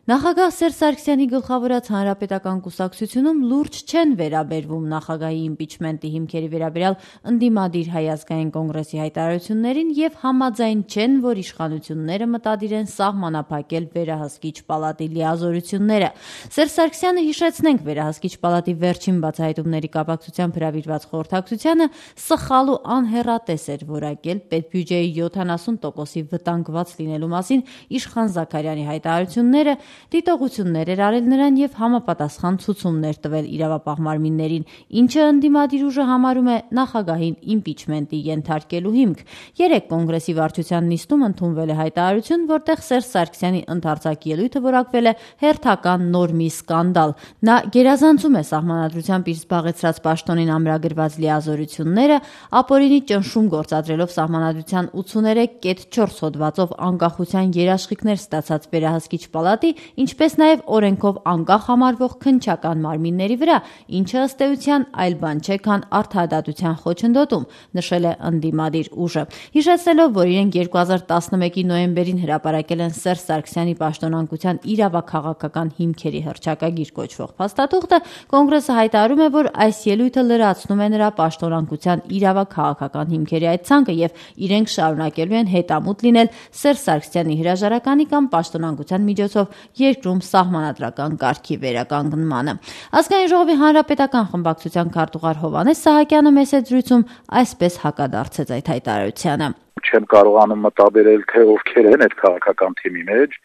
Նախագահ Սերժ Սարգսյանի գլխավորած հանրապետական կուսակցությունում լուրջ չեն վերաբերվում նախագահի իմպիչմենտի հիմքերի վերաբերյալ ընդդիմադիր Հայ ազգային կոնգրեսի հայտարարություններին եւ համաձայն չեն, որ իշխանությունները մտադիր են սահմանափակել վերահսկիչ պալատի լիազորությունները։ Սերժ Սարգսյանը, հիշեցնենք, վերահսկիչ պալատի վերջին բացահայտումների կապակցությամբ հրավիրված խորհրդակցությանը սխալ ու անհեռատես էր որակել պետբյուջեի 70%-ի վտանգված լինելու մասին Իշխան Զաքարյանի հայտարարությունները, դիտողություններ էր արել նրան եւ համապատասխան ցուցումներ տվել իրավապահ մարմիններին, ինչը ընդդիմադիր ուժը համարում է նախագահին իմպիչմենտի ենթարկելու հիմք։ Երեկ կոնգրեսի վարչության նիստում ընդունվել է հայտարարություն, որտեղ Սերժ Սարգսյանի ընդարձակ ելույթը որակվել է հերթական նորմի սկանդալ։ Նա գերազանցում է սահմանադրությամբ իր զբաղեցրած պաշտոնին ամրագրված լիազորությունները, ապօրինի ճնշում գործադրելով սահմանադրության 83.4 հոդվածով անկախության երաշխիքներ ստացած վերահսկիչ պալատի, ինչպես նաև օրենքով անկախ համարվող քննչական մարմինների վրա, ինչը ըստ էության այլ բան չէ, քան արդարադատության խոչընդոտում, նշել է ընդդիմադիր ուժը։ Հիշեցնելով, որ իրենք 2011-ի նոյեմբերին հրապարակել են Սերժ Սարգսյանի պաշտոնանկության իրավաքաղաքական հիմքերի հռչակագիր կոչվող փաստաթուղթը, կոնգրեսը հայտարարում է, որ այս ելույթը լրացնում է նրա պաշտոնանկության իրավաքաղաքական հիմքերի այդ ցանկը եւ իրենք շարունակելու են հետամուտ լինել Սերժ Սարգսյանի հրաժարականի կամ պաշտոնանկության միջոցով երկրում սահմանադրական կարգի վերականգնմանը։ Ազգային ժողովի հանրապետական խմբակցության քարտուղար Հովհաննես Սահակյանը մեծ զրույցում այսպես հակադարձեց այդ հայտարարությանը։ Չեմ կարողանում մտաբերել, թե ովքեր են այդ քաղաքական թիմի մեջ,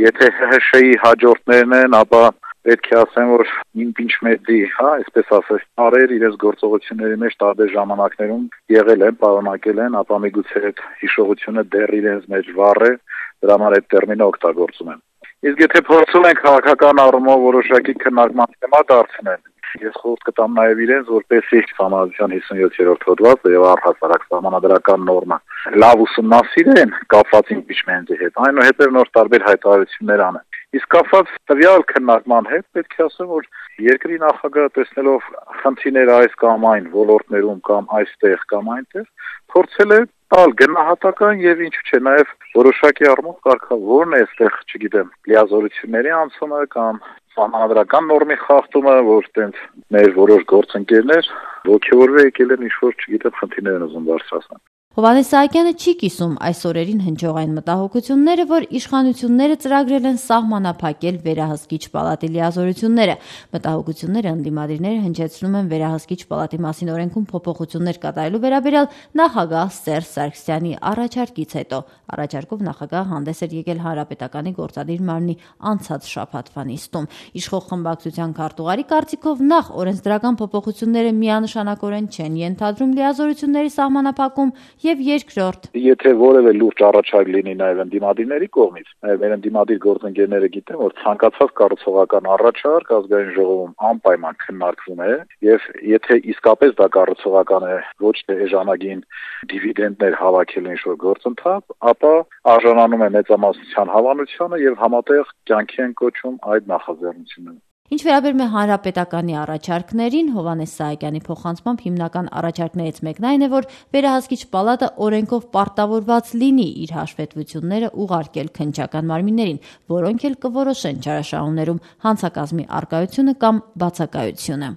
եթե ՀՀՇ-ի հաջորդներն են, ապա պետք է ասեմ, որ իմպիչմենտի, այսպես ասած, արեր իրենց գործողությունների մեջ տարբեր ժամանակներում եղել են, պարունակել են, ապա միգուցե այդ հիշողությունը դեռ իրենց մեջ վառ է, դրա համար այդ տերմինը օգտագործում են։ Իսկ եթե փորձում են քաղաքական առումով որոշակի քննարկման թեմա դարձնել, ես խորհուրդ կտամ նաև իրենց, որպեսզի սահմանադրության 57-րդ հոդվածը եւ առհասարակ սահմանադրական նորմը լավ ուսումնասիրեն կապված իմպիչմենտի հետ, այնուհետև նոր տարբեր հայտարարություններ անեն։ Իսկ կապված տվյալ քննարկման հետ պետք է ասեմ, որ երկրի նախագահը տեսնելով խնդիրները այս կամ այն ոլորտներում կամ այստեղ կամ այնտեղ, փորձել է տալ գնահատական եւ ինչու՞ չէ նաեւ որոշակի առումով կարգավորն է այստեղ, չգիտեմ, լիազորությունների անցումը կամ սահմանադրական նորմի խախտումը, որ տենց մեր որոշ գործընկերներ ողջորվի եկել են ինչ-որ, չգիտեմ, խնդիրներ են ուզում բարձրացնել։ Հովհաննես Սահակյանը չի կիսում այս օրերին հնչող այն մտահոգությունները, որ իշխանությունները ծրագրել են սահմանափակել վերահսկիչ պալատի լիազորությունները։ Մտահոգությունները ընդդիմադիրները հնչեցնում են վերահսկիչ պալատի մասին օրենքում փոփոխություններ կատարելու վերաբերյալ նախագահ Սերժ Սարգսյանի առաջարկից հետո։ Առաջարկով նախագահը հանդես էր եկել Հանրապետականի գործադիր մարմնի անցած շաբաթվա նիստում։ Իշխող խմբակցության քարտուղարի կարծիքով նախ օրենսդրական փոփոխությունները միանշանակորեն չեն ենթադրում լիազորությունների սահմանափակում եւ երկրորդ, եթե որևէ լուրջ առաջարկ լինի նաեւ ընդդիմադիրների կողմից, մեր ընդդիմադիր գործընկերները գիտեն, որ ցանկացած կառուցողական առաջարկ ազգային ժողովում անպայման քննարկվում է եւ եթե իսկապես դա կառուցողական է, ոչ թե էժանագին դիվիդենդներ հավաքել ինչ-որ գործընթաց, ապա արժանանում է մեծամասնության հավանությանը եւ համատեղ կյանքի են կոչում այդ նախաձեռնությունները։ Ինչ վերաբերում է հանրապետականի առաջարկներին, Հովհաննես Սահակյանի փոխանցմամբ հիմնական առաջարկներից մեկն այն է, որ վերահսկիչ պալատը օրենքով պարտավորված լինի իր հաշվետվությունները ուղարկել քննչական մարմիններին, որոնք էլ կորոշեն չարաշահումներում հանցակազմի առկայությունը կամ բացակայությունը։